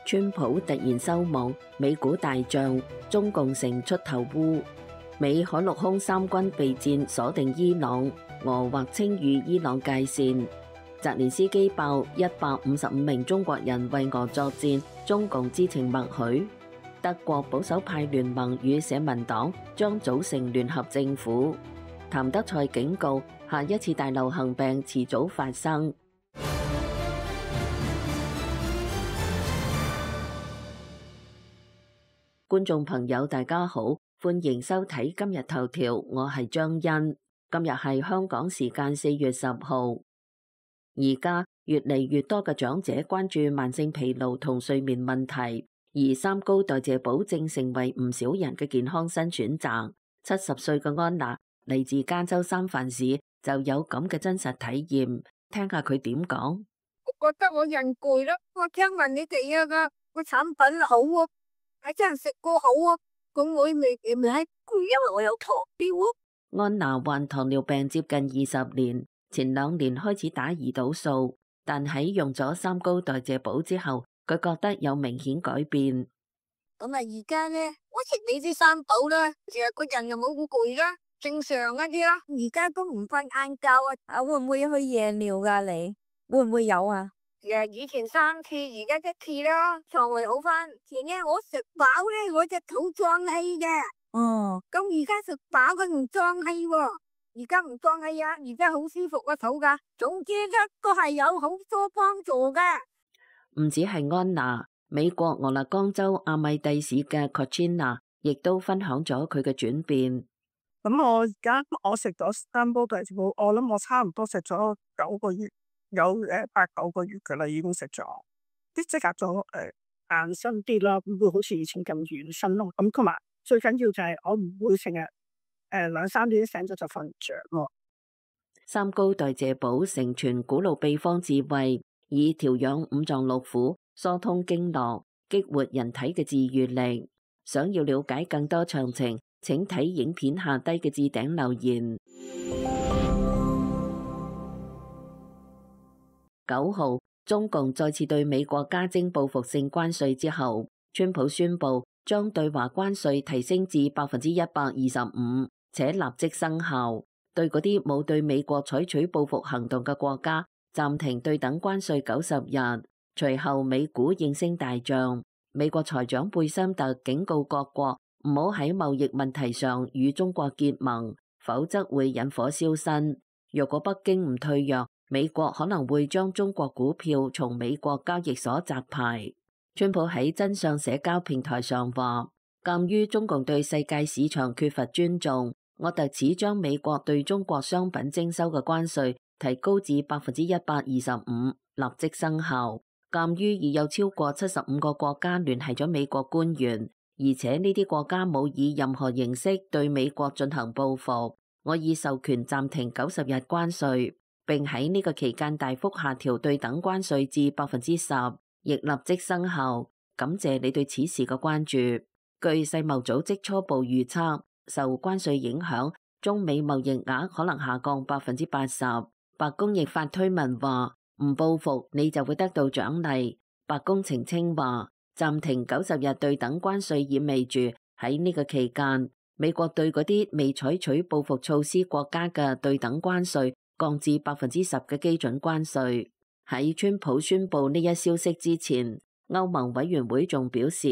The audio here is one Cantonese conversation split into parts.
川普突然收網，美股大漲，中共成出頭烏。美海陸空三軍備戰鎖定伊朗，俄或稱與伊朗界線。澤連斯基爆155名中國人為俄作戰，中共知情默許。德國保守派聯盟與社民黨將組成聯合政府。譚德塞警告，下一次大流行病遲早發生。觀眾朋友大家好，歡迎收睇今日頭條，我係張欣。今日係香港時間4月10號。而家越嚟越多嘅長者關注慢性疲勞同睡眠問題，而三高代謝寶正成為唔少人嘅健康新選擇。70歲嘅安娜嚟自加州三藩市，就有咁嘅真實體驗，聽下佢點講。我覺得我人攰啦，我聽聞你哋個產品好啊。係真係食過好啊！咁我未係攰，因為我有糖尿啊。安娜患糖尿病接近20年，前2年開始打胰島素，但喺用咗三高代謝寶之後，佢覺得有明顯改變。咁啊，而家咧，我食你啲三寶啦，成日個人又冇咁攰啦，正常一啲啦。而家都唔瞓晏覺啊！會唔會去夜尿噶？你會唔會有啊？以前3次，而家1次啦，腸胃好翻。前日我食飽咧，我隻肚脹氣嘅。哦，咁而家食飽佢唔脹氣喎，而家唔脹氣啊，而家好舒服個肚噶。總之咧，都係有好多幫助嘅。唔止係安娜，美國俄勒岡州阿米蒂市嘅 Cochina 亦都分享咗佢嘅轉變。咁我而家食咗三煲代謝寶，我諗我差唔多食咗9個月。有8-9個月噶啦，已經食咗，啲即刻咗硬身啲啦，唔會好似以前咁軟身咯。咁同埋最緊要就係我唔會成日2-3點醒咗就瞓唔着咯。三高代謝寶承傳古老秘方智慧，以調養五臟六腑、疏通經絡、激活人體嘅治癒力。想要了解更多詳情，請睇影片下低嘅置頂留言。9號，中共再次對美國加徵報復性關稅之後，川普宣布將對華關稅提升至125%，且立即生效。對嗰啲冇對美國採取報復行動嘅國家，暫停對等關稅90日。隨後美股應聲大漲。美國財長貝森特警告各國唔好喺貿易問題上與中國結盟，否則會引火燒身。若果北京唔退讓，美國可能會將中國股票從美國交易所摘牌。川普喺真相社交平台上話，鑒於中共對世界市場缺乏尊重，我特此將美國對中國商品徵收嘅關稅提高至125%，立即生效。鑒於已有超過75個國家聯繫咗美國官員，而且呢啲國家冇以任何形式對美國進行報復，我已授權暫停90日關稅，並喺呢個期間大幅下調對等關稅至10%，亦立即生效。感謝你對此事嘅關注。據世貿組織初步預測，受關稅影響，中美貿易額可能下降80%。白宮亦發推文話，唔報復你就會得到獎勵。白宮澄清話，暫停90日對等關稅意味住喺呢個期間，美國對嗰啲未採取報復措施國家嘅對等關稅降至10%嘅基準關稅。喺川普宣布呢一消息之前，歐盟委員會仲表示，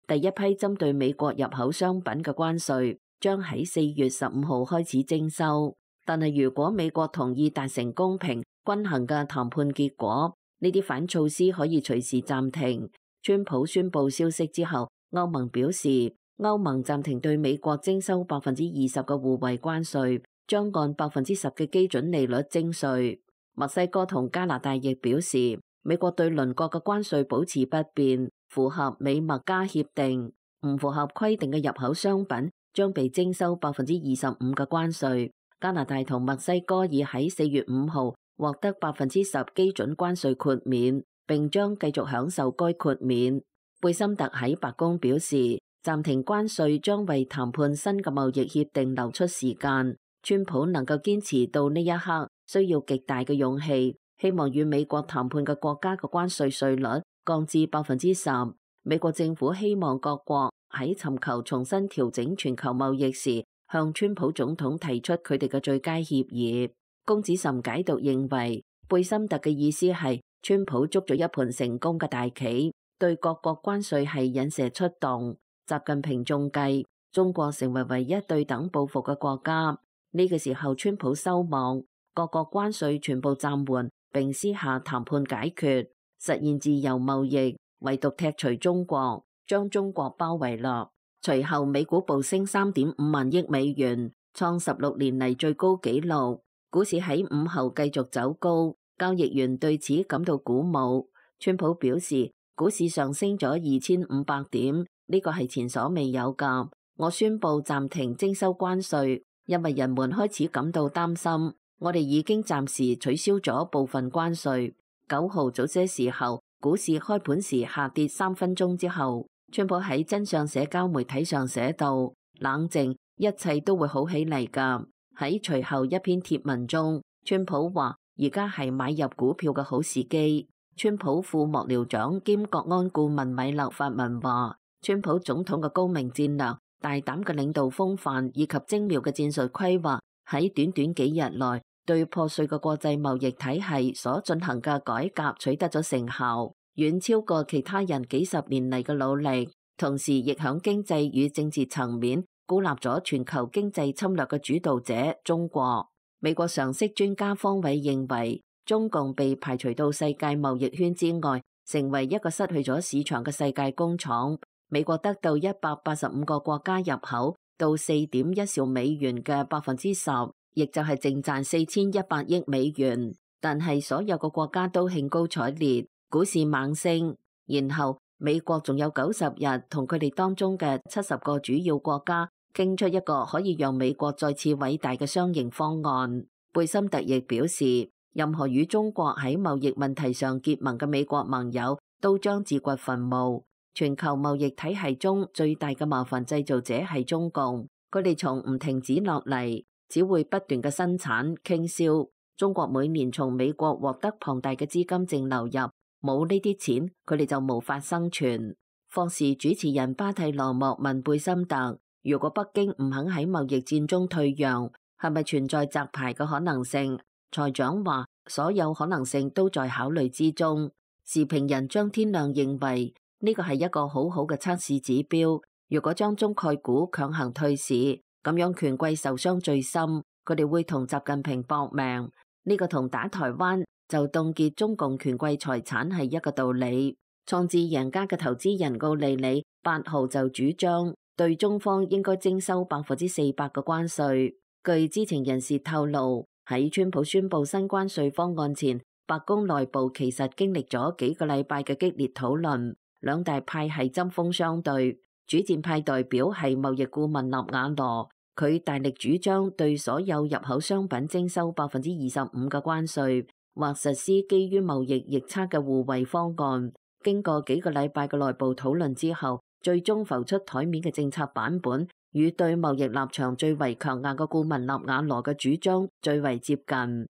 第一批針對美國入口商品嘅關稅將喺4月15號開始徵收。但係如果美國同意達成公平均衡嘅談判結果，呢啲反措施可以隨時暫停。川普宣布消息之後，歐盟表示，歐盟暫停對美國徵收20%嘅互惠關稅，將按10%嘅基準利率徵稅。墨西哥同加拿大亦表示，美國對鄰國嘅關稅保持不變，符合美墨加協定。唔符合規定嘅入口商品將被徵收25%嘅關稅。加拿大同墨西哥已喺4月5號獲得10%基準關稅豁免，並將繼續享受該豁免。貝森特喺白宮表示，暫停關稅將為談判新嘅貿易協定留出時間。川普能夠堅持到呢一刻，需要極大嘅勇氣。希望與美國談判嘅國家嘅關稅稅率降至10%，美國政府希望各國喺尋求重新調整全球貿易時，向川普總統提出佢哋嘅最佳協議。龔子岑解讀認為，貝森特嘅意思係川普捉咗一盤成功嘅大棋，對各國關稅係引蛇出洞。習近平仲計中國成為唯一對等報復嘅國家。呢個時候，川普收網，各國關稅全部暫緩，並私下談判解決，實現自由貿易，唯獨踢除中國，將中國包圍落。隨後美股暴升3.5萬億美元，創16年嚟最高紀錄。股市喺午後繼續走高，交易員對此感到鼓舞。川普表示，股市上升咗2500點，呢個係前所未有㗎。我宣布暫停徵收關稅，因為人們開始感到擔心。我哋已經暫時取消咗部分關稅。9號早些時候，股市開盤時下跌3分鐘之後，川普喺真相社交媒體上寫道：冷靜，一切都會好起嚟㗎。喺隨後一篇貼文中，川普話：而家係買入股票嘅好時機。川普副幕僚長兼國安顧問米勒發文話：川普總統嘅高明戰略、大膽嘅領導風範以及精妙嘅戰術規劃，喺短短幾日內對破碎嘅國際貿易體系所進行嘅改革取得咗成效，遠超過其他人幾十年嚟嘅努力。同時，亦響經濟與政治層面孤立咗全球經濟侵略嘅主導者中國。美國常識專家方偉認為，中共被排除到世界貿易圈之外，成為一個失去咗市場嘅世界工廠。美國得到185個國家入口到4.1兆美元嘅10%，亦就係淨賺4100億美元。但係所有個國家都興高采烈，股市猛升。然後美國仲有90日同佢哋當中嘅70個主要國家傾出一個可以讓美國再次偉大嘅雙贏方案。貝森特亦表示，任何與中國喺貿易問題上結盟嘅美國盟友都將自掘墳墓。全球貿易體系中最大嘅麻煩製造者係中共，佢哋從唔停止落嚟，只會不斷嘅生產傾銷。中國每年從美國獲得龐大嘅資金淨流入，冇呢啲錢，佢哋就無法生存。霍士主持人巴蒂羅莫問貝森特：如果北京唔肯喺貿易戰中退讓，係咪存在摘牌嘅可能性？財長話：所有可能性都在考慮之中。時評人張天亮認為呢個係一個好好嘅測試指標。如果將中概股強行退市，咁樣權貴受傷最深，佢哋會同習近平搏命。呢個同打台灣就凍結中共權貴財產係一個道理。創智贏家嘅投資人奧利里8號就主張對中方應該徵收400%嘅關稅。據知情人士透露，喺川普宣布新關稅方案前，白宮內部其實經歷咗幾個禮拜嘅激烈討論，兩大派系針鋒相對。主戰派代表係貿易顧問納瓦羅，佢大力主張對所有入口商品徵收25%嘅關稅，或實施基於貿易逆差嘅互惠方案。經過幾個禮拜嘅內部討論之後，最終浮出台面嘅政策版本，與對貿易立場最為強硬嘅顧問納瓦羅嘅主張最為接近。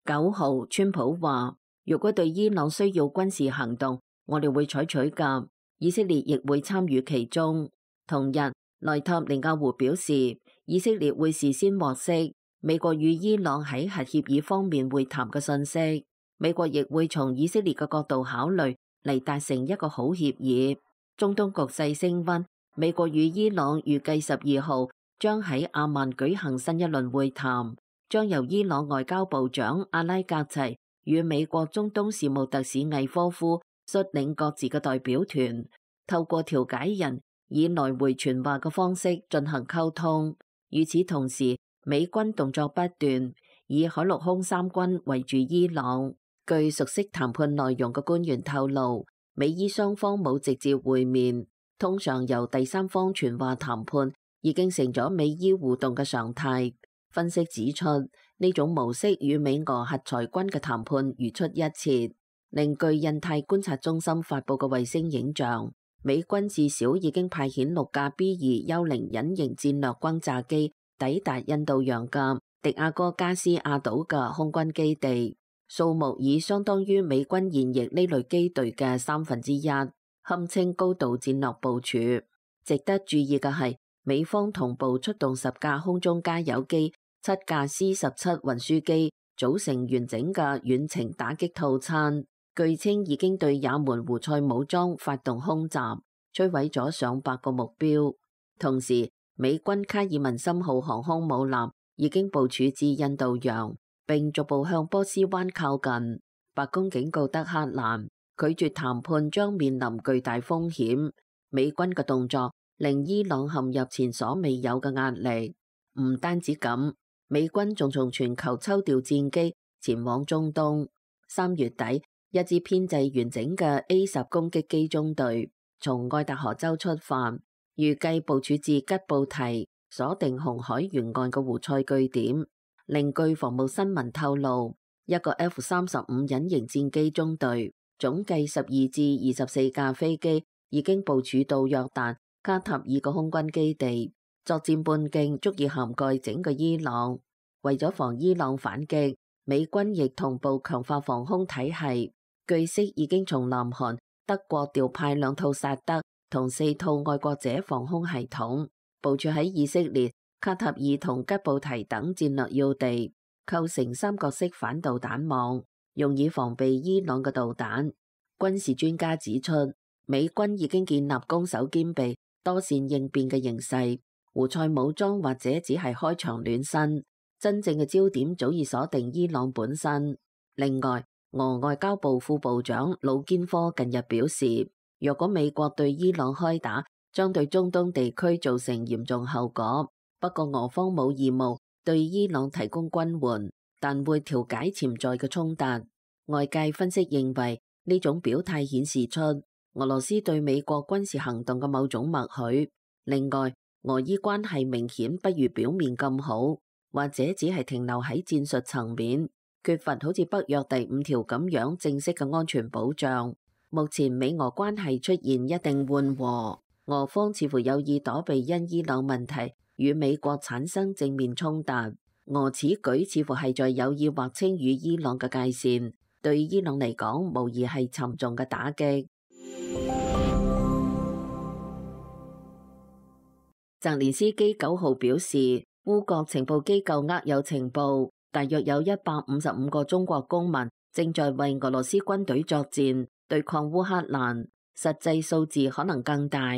9號，川普話：如果對伊朗需要軍事行動，我哋會採取㗎，以色列亦會參與其中。同日，內塔尼亞胡表示，以色列會事先獲悉美國與伊朗喺核協議方面會談嘅信息，美國亦會從以色列嘅角度考慮嚟達成一個好協議。中東局勢升溫，美國與伊朗預計12號將喺阿曼舉行新一輪會談，將由伊朗外交部長阿拉格齊與美國中東事務特使魏科夫率領各自嘅代表團，透過調解人以來回傳話嘅方式進行溝通。與此同時，美軍動作不斷，以海陸空三軍圍住伊朗。據熟悉談判內容嘅官員透露，美伊雙方冇直接會面，通常由第三方傳話談判已經成咗美伊互動嘅常態。分析指出，呢種模式與美俄核裁軍嘅談判如出一轍。另據印太觀察中心發布嘅衛星影像，美軍至少已經派遣6架 B-2幽靈隱形戰略轟炸機抵達印度洋嘅迪亞哥加斯亞島嘅空軍基地。數目已相當於美軍現役呢類機隊嘅1/3，堪稱高度戰略部署。值得注意嘅係，美方同步出動10架空中加油機、7架 C-17運輸機，組成完整嘅遠程打擊套餐。據稱已經對也門胡塞武裝發動空襲，摧毀咗上百個目標。同時，美軍卡爾文森號航空母艦已經部署至印度洋，並逐步向波斯灣靠近。白宮警告德黑蘭，拒絕談判將面臨巨大風險。美軍嘅動作令伊朗陷入前所未有嘅壓力。唔單止咁，美軍仲從全球抽調戰機前往中東。3月底，一支編制完整嘅 A-10攻擊機中隊從愛達荷州出發，預計部署至吉布提，鎖定紅海沿岸嘅胡塞據點。另據防務新聞透露，一個 F-35隱形戰機中隊總計12至24架飛機已經部署到約旦、卡塔爾嘅空軍基地，作戰半徑足以涵蓋整個伊朗。為咗防伊朗反擊，美軍亦同步強化防空體系。據悉已經從南韓、德國調派2套薩德同4套愛國者防空系統，部署喺以色列、卡塔爾同吉布提等戰略要地，構成三角式反導彈網，用以防備伊朗嘅導彈。軍事專家指出，美軍已經建立攻守兼備、多線應變嘅形勢，胡塞武裝或者只係開場暖身，真正嘅焦點早已鎖定伊朗本身。另外，俄外交部副部長魯堅科近日表示，若果美國對伊朗開打，將對中東地區造成嚴重後果。不過俄方冇義務對伊朗提供軍援，但會調解潛在嘅衝突。外界分析認為，呢種表態顯示出俄羅斯對美國軍事行動嘅某種默許。另外，俄伊關係明顯不如表面咁好，或者只係停留喺戰術層面，缺乏好似北約第5條咁樣正式嘅安全保障。目前美俄關係出現一定緩和，俄方似乎有意躲避因伊朗問題與美國產生正面衝突。俄此舉似乎係在有意劃清與伊朗嘅界線，對伊朗嚟講無疑係沉重嘅打擊。澤連斯基9號表示，烏國情報機構握有情報，大約有155個中國公民正在為俄羅斯軍隊作戰，對抗烏克蘭，實際數字可能更大。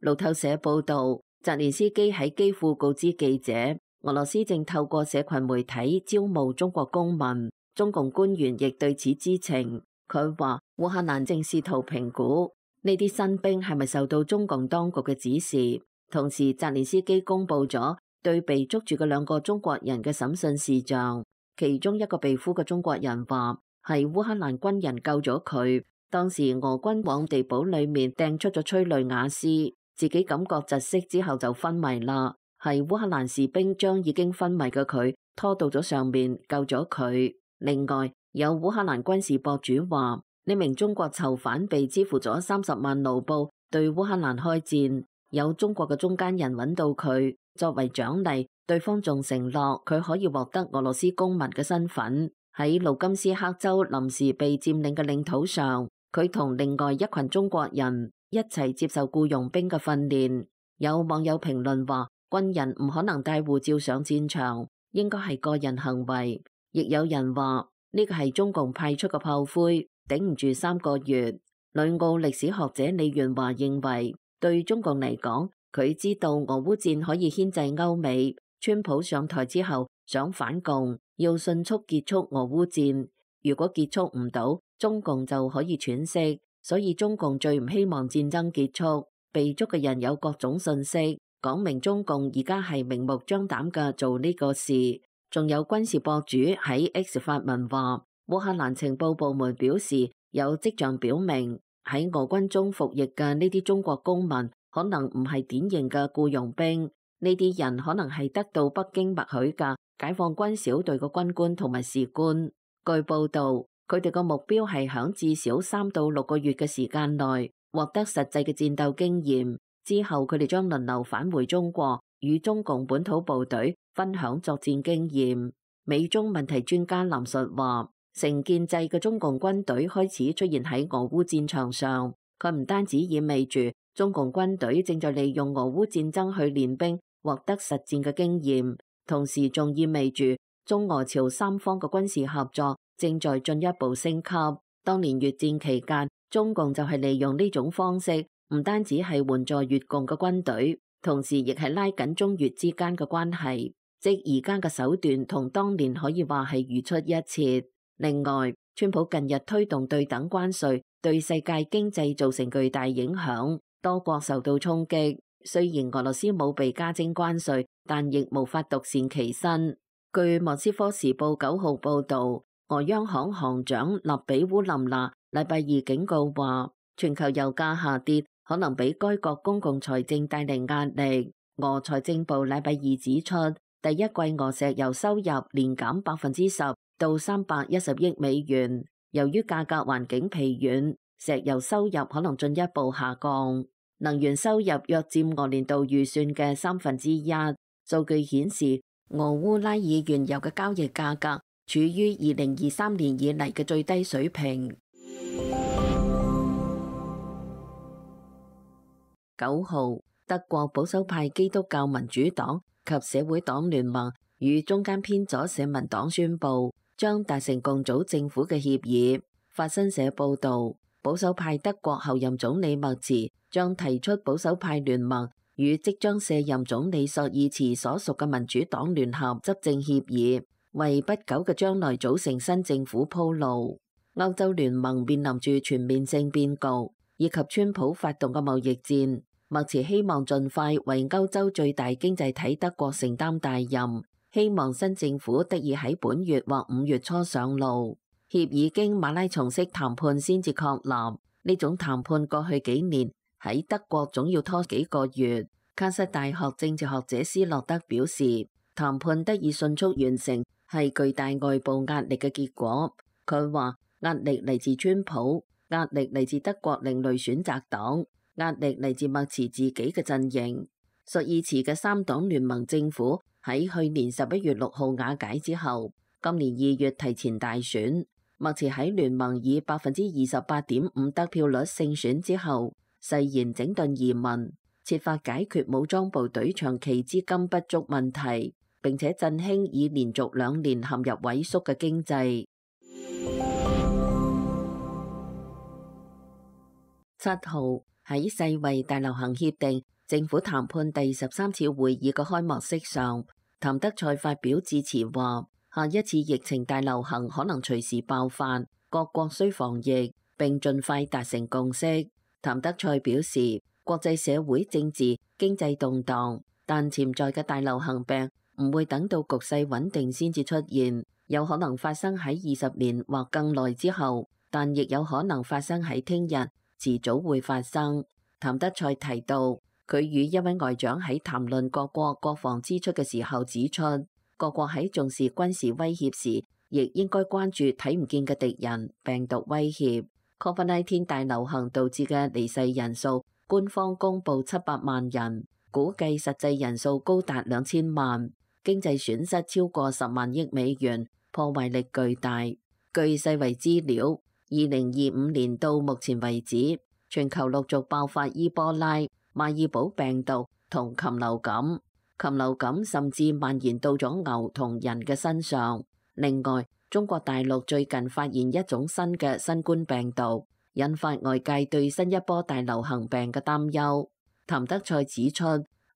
路透社報道，澤連斯基喺基輔告知記者，俄羅斯正透過社群媒體招募中國公民，中共官員亦對此知情。佢話烏克蘭正試圖評估呢啲新兵係咪受到中共當局嘅指示。同時，澤連斯基公布咗對被捉住嘅2個中國人嘅審訊事項，其中一個被俘嘅中國人話係烏克蘭軍人救咗佢，當時俄軍往地堡裏面掟出咗催淚瓦斯，自己感覺窒息之後就昏迷啦，係烏克蘭士兵將已經昏迷嘅佢拖到咗上面救咗佢。另外，有烏克蘭軍事博主話呢名中國囚犯被支付咗30萬盧布對烏克蘭開戰。有中國嘅中間人揾到佢，作為獎勵，對方仲承諾佢可以獲得俄羅斯公民嘅身份。喺盧甘斯克州臨時被佔領嘅領土上，佢同另外一群中國人一齊接受僱傭兵嘅訓練。有網友評論話，軍人唔可能帶護照上戰場，應該係個人行為。亦有人話呢個係中共派出嘅炮灰，頂唔住3個月。旅澳歷史學者李元華認為，對中共嚟講，佢知道俄烏戰可以牽制歐美。川普上台之後想反共，要迅速結束俄烏戰。如果結束唔到，中共就可以喘息。所以中共最唔希望戰爭結束。被捉嘅人有各種信息，講明中共而家係明目張膽嘅做呢個事。仲有軍事博主喺 X 發文話，烏克蘭情報部門表示有跡象表明，喺俄軍中服役嘅呢啲中國公民可能唔係典型嘅僱傭兵，呢啲人可能係得到北京默許嘅解放軍小隊嘅軍官同埋士官。據報道，佢哋個目標係響至少3到6個月嘅時間內獲得實際嘅戰鬥經驗，之後佢哋將輪流返回中國，與中共本土部隊分享作戰經驗。美中問題專家林述話，成建制嘅中共軍隊開始出現喺俄烏戰場上。佢唔單止意味住中共軍隊正在利用俄烏戰爭去練兵，獲得實戰嘅經驗，同時仲意味住中俄朝三方嘅軍事合作正在進一步升級。當年越戰期間，中共就係利用呢種方式，唔單止係援助越共嘅軍隊，同時亦係拉緊中越之間嘅關係，即而家嘅手段同當年可以話係如出一轍。另外，川普近日推動對等關稅，對世界經濟造成巨大影響，多國受到衝擊。雖然俄羅斯冇被加徵關稅，但亦無法獨善其身。據莫斯科時報9號報導，俄央行行長勒比烏林娜禮拜二警告話，全球油價下跌可能俾該國公共財政帶嚟壓力。俄財政部禮拜二指出，第一季俄石油收入年減10%到310億美元。由於價格環境疲軟，石油收入可能進一步下降。能源收入約佔俄年度預算嘅1/3。數據顯示，俄烏拉爾原油嘅交易價格處於2023年以嚟嘅最低水平。9號，德國保守派基督教民主黨及社會黨聯盟與中間偏左社民黨宣布將達成共組政府嘅協議。法新社報導，保守派德國候任總理默茨將提出保守派聯盟與即將卸任總理朔爾茨所屬嘅民主黨聯合執政協議，為不久嘅將來組成新政府鋪路。歐洲聯盟面臨住全面性變局，以及川普發動嘅貿易戰。默茨希望盡快為歐洲最大經濟體德國承擔大任，希望新政府得以喺本月或5月初上路。協議經馬拉松式談判先至確立，呢種談判過去幾年喺德國總要拖幾個月。卡塞大學政治學者斯洛德表示，談判得以迅速完成係巨大外部壓力嘅結果。佢話壓力嚟自川普，壓力嚟自德國另類選擇黨，壓力嚟自默茨自己嘅陣營。朔爾茨嘅3黨聯盟政府喺去年11月6號瓦解之後，今年2月提前大選。默茨喺聯盟以28.5%得票率勝選之後，誓言整頓移民，設法解決武裝部隊長期資金不足問題，並且振興已連續2年陷入萎縮嘅經濟。7號，喺世衛大流行協定政府談判第13次會議嘅開幕式上，譚德塞發表致辭話，下一次疫情大流行可能隨時爆發，各國需防疫並盡快達成共識。譚德塞表示，國際社會政治經濟動盪，但潛在嘅大流行病唔會等到局勢穩定先至出現，有可能發生喺20年或更耐之後，但亦有可能發生喺聽日，遲早會發生。譚德塞提到，佢與一位外長喺談論各國國防支出嘅時候指出，各國喺重視軍事威脅時，亦應該關注睇唔見嘅敵人病毒威脅。COVID-19 大流行導致嘅離世人數，官方公布700萬人，估計實際人數高達2000萬，經濟損失超過10萬億美元，破壞力巨大。據世衛資料，2025年到目前為止，全球陸續爆發伊波拉、馬爾堡病毒同禽流感。禽流感甚至蔓延到咗牛同人嘅身上。另外，中國大陸最近發現一種新嘅新冠病毒，引發外界對新一波大流行病嘅擔憂。譚德塞指出，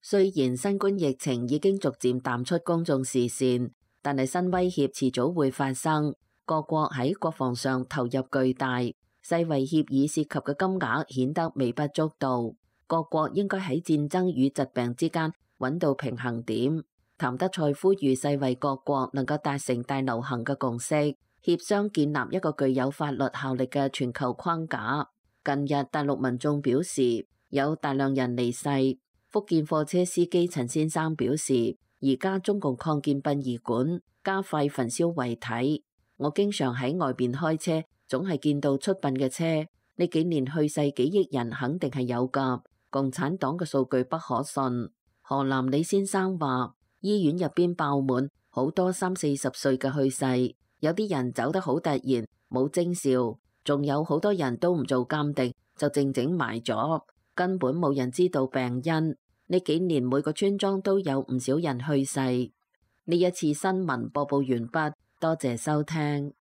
雖然新冠疫情已經逐漸淡出公眾視線，但係新威脅遲早會發生。各國喺國防上投入巨大，世衛協議涉及嘅金額顯得微不足道。各國應該喺戰爭與疾病之間揾到平衡點。譚德塞呼籲世衛各國能夠達成大流行嘅共識，協商建立一個具有法律效力嘅全球框架。近日大陸民眾表示有大量人離世。福建貨車司機陳先生表示，而家中共擴建殯儀館，加快焚燒遺體。我經常喺外邊開車，總係見到出殯嘅車。呢幾年去世幾億人肯定係有㗎。共產黨嘅數據不可信。河南李先生話，醫院入邊爆滿，好多30-40歲嘅去世，有啲人走得好突然，冇徵兆，仲有好多人都唔做鑑定，就靜靜埋咗，根本冇人知道病因。呢幾年每個村莊都有唔少人去世。呢一次新聞播報完畢，多謝收聽。